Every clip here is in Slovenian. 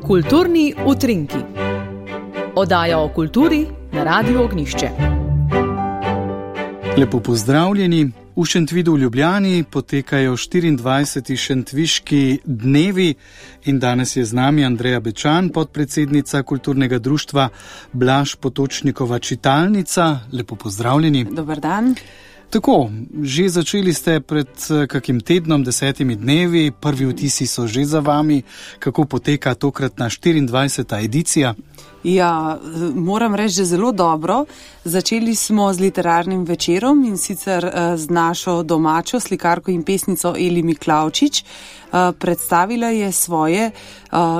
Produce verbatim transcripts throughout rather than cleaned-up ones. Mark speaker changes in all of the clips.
Speaker 1: Kulturni utrinki. Oddaja o kulturi na Radiu Ognjišče.
Speaker 2: Lepo pozdravljeni. V Šentvidu v Ljubljani potekajo štiriindvajseti Šentviški dnevi in danes je z nami Andreja Bečan, podpredsednica kulturnega društva Blaž Potočnikova čitalnica. Lepo pozdravljeni.
Speaker 3: Dober dan.
Speaker 2: Tako, že začeli ste pred kakim tednom, desetimi dnevi, prvi vtisi so že za vami. Kako poteka tokratna štiriindvajseta edicija?
Speaker 3: Ja, moram reči, že zelo dobro. Začeli smo z literarnim večerom in sicer z našo domačo slikarko in pesnico Eli Miklavčič. Predstavila je svoje,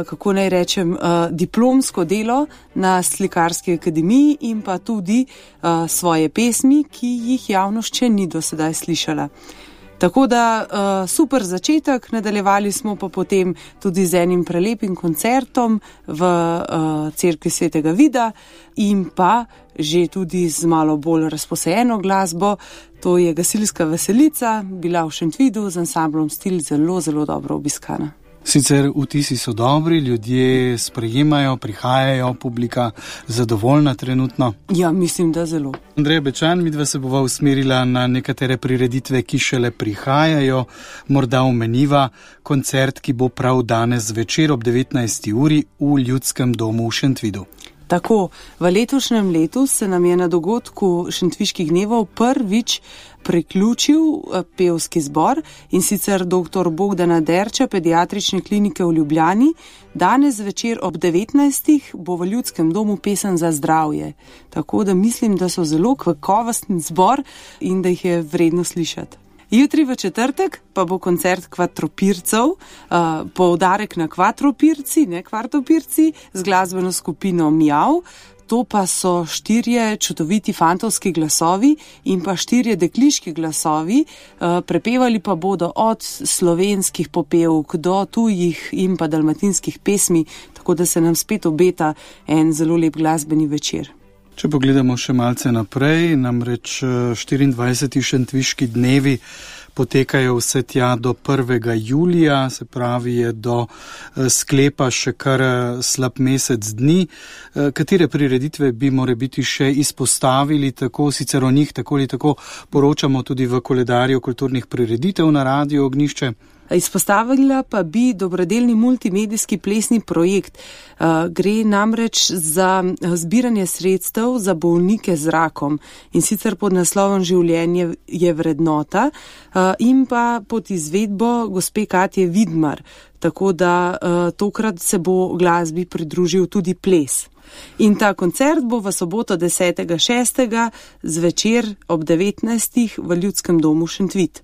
Speaker 3: kako naj rečem, diplomsko delo na Slikarski akademiji in pa tudi svoje pesmi, ki jih javnost še ni do sedaj slišala. Tako da uh, super začetek, nadaljevali smo pa potem tudi z enim prelepim koncertom v uh, cerkvi Svetega Vida in pa že tudi z malo bolj razposajeno glasbo. To je gasilska veselica, bila v Šentvidu z ansamblom Stil zelo, zelo dobro obiskana.
Speaker 2: Sicer vtisi so dobri, ljudje sprejemajo, prihajajo, publika zadovoljna trenutno.
Speaker 3: Ja, mislim, da zelo.
Speaker 2: Andreja Bečan, midva se bova usmerila na nekatere prireditve, ki šele prihajajo. Morda omeniva koncert, ki bo prav danes večer ob devetnajsti uri v Ljudskem domu v Šentvidu.
Speaker 3: Tako, v letošnjem letu se nam je na dogodku Šentviških dnevov prvič priključil pevski zbor in sicer doktor Bogdana Derča, pediatrične klinike v Ljubljani. Danes večer ob devetnajstih bo v Ljudskem domu pesem za zdravje. Tako da mislim, da so zelo kakovosten zbor in da jih je vredno slišati. Jutri v četrtek pa bo koncert Kvatropircev, uh, poudarek na Kvatropirci, ne Kvartopirci, z glasbeno skupino Mjav. To pa so štirje čudoviti fantovski glasovi in pa štirje dekliški glasovi. Uh, prepevali pa bodo od slovenskih popevk do tujih in pa dalmatinskih pesmi, tako da se nam spet obeta en zelo lep glasbeni večer.
Speaker 2: Če pogledamo še malce naprej, namreč štiriindvajseti Šentviški dnevi potekajo vse tja do prvega julija, se pravi je do sklepa še kar slab mesec dni. Katere prireditve bi morebiti še izpostavili, tako sicer o njih tako ali tako poročamo tudi v koledarju kulturnih prireditev na Radiu Ognjišče?
Speaker 3: Izpostavila pa bi dobrodelni multimedijski plesni projekt. Gre namreč za zbiranje sredstev za bolnike z rakom in sicer pod naslovom Življenje je vrednota in pa pod izvedbo gospe Katje Vidmar. Tako da tokrat se bo glasbi pridružil tudi ples. In ta koncert bo v soboto desetega šestega zvečer ob devetnajstih v Ljudskem domu Šentvid.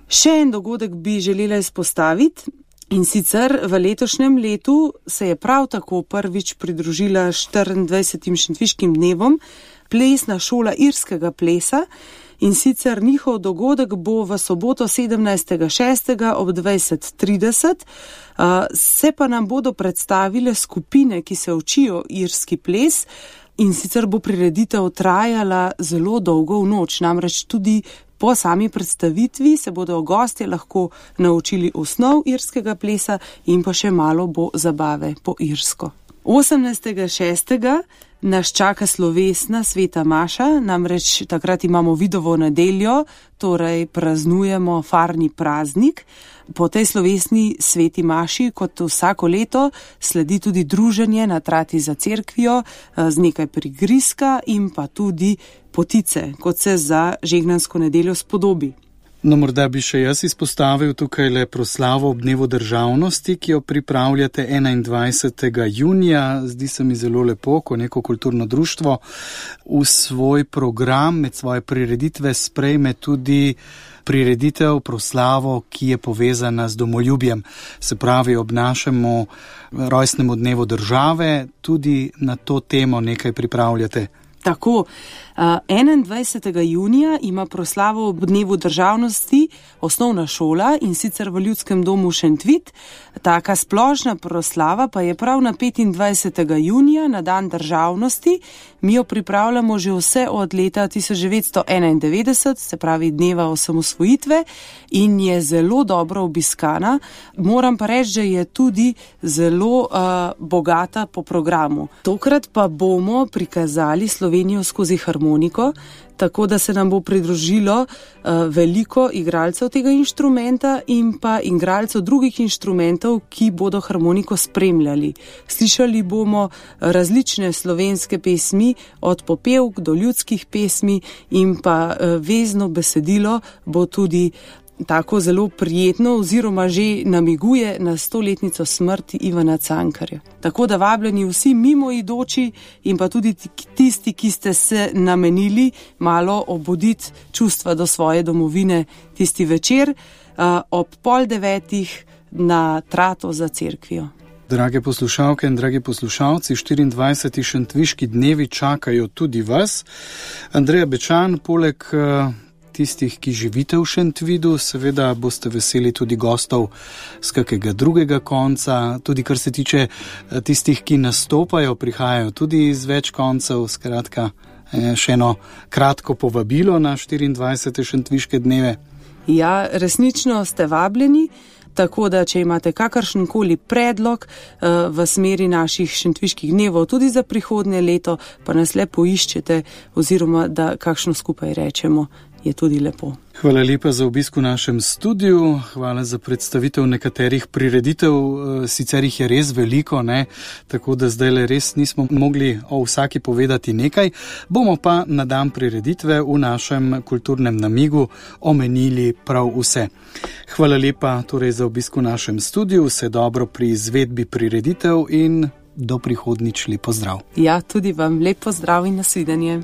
Speaker 3: Še en dogodek bi želela izpostaviti in sicer v letošnjem letu se je prav tako prvič pridružila štiriindvajsetim Šentviškim dnevom plesna šola irskega plesa in sicer njihov dogodek bo v soboto sedemnajstega šestega ob dvajset trideset. Se pa nam bodo predstavile skupine, ki se učijo irski ples. In sicer bo prireditev trajala zelo dolgo v noč, namreč tudi po sami predstavitvi se bodo gostje lahko naučili osnov irskega plesa in pa še malo bo zabave po irsko. osemnajstega šestega nas čaka slovesna sveta maša, namreč takrat imamo Vidovo nedeljo, torej praznujemo farni praznik. Po tej slovesni sveti maši, kot vsako leto, sledi tudi druženje na trati za cerkvijo z nekaj prigrizka in pa tudi potice, kot se za žegnansko nedeljo spodobi.
Speaker 2: No, morda bi še jaz izpostavil tukaj le proslavo ob dnevu državnosti, ki jo pripravljate enaindvajsetega junija. Zdi se mi zelo lepo, ko neko kulturno društvo v svoj program med svoje prireditve sprejme tudi prireditev, proslavo, ki je povezana z domoljubjem. Se pravi, ob našemu rojstnemu dnevu države tudi na to temo nekaj pripravljate.
Speaker 3: Tako, enaindvajsetega junija ima proslavo ob dnevu državnosti osnovna šola, in sicer v Ljudskem domu Šentvid. Taka splošna proslava pa je prav na petindvajsetega junija, na dan državnosti. Mi jo pripravljamo že vse od leta tisoč devetsto enaindevetdeset, se pravi dneva osamosvojitve, in je zelo dobro obiskana. Moram pa reči, da je tudi zelo uh, bogata po programu. Tokrat pa bomo prikazali Slovenijo skozi harmoniko, tako da se nam bo pridružilo uh, veliko igralcev tega inštrumenta in pa igralcev drugih inštrumentov, ki bodo harmoniko spremljali. Slišali bomo različne slovenske pesmi, od popevk do ljudskih pesmi, in pa uh, vezno besedilo bo tudi tako zelo prijetno oziroma že namiguje na stoletnico smrti Ivana Cankarja. Tako da vabljeni vsi mimoidoči in pa tudi tisti, ki ste se namenili malo obuditi čustva do svoje domovine tisti večer uh, ob pol devetih na Trato za cerkvijo.
Speaker 2: Drage poslušalke in dragi poslušalci, štiriindvajseti šentviški dnevi čakajo tudi vas. Andreja Bečan, poleg uh, tistih, ki živite v Šentvidu, seveda boste veseli tudi gostov z kakega drugega konca, tudi kar se tiče tistih, ki nastopajo, prihajajo tudi iz več koncev. Skratka, še eno kratko povabilo na štiriindvajsete šentviške dneve.
Speaker 3: Ja, resnično ste vabljeni, tako da če imate kakršenkoli predlog uh, v smeri naših šentviških dnevov tudi za prihodnje leto, pa nas le poiščete oziroma da kakšno skupaj rečemo, je tudi lepo.
Speaker 2: Hvala lepa za obisk v našem studiu, hvala za predstavitev nekaterih prireditev, sicer jih je res veliko, ne? Tako da zdaj le res nismo mogli o vsaki povedati nekaj, bomo pa na dan prireditve v našem kulturnem namigu omenili prav vse. Hvala lepa torej za obisk v našem studiu, vse dobro pri izvedbi prireditev in do prihodnjič lep pozdrav.
Speaker 3: Ja, tudi vam lep pozdrav in nasvidenje.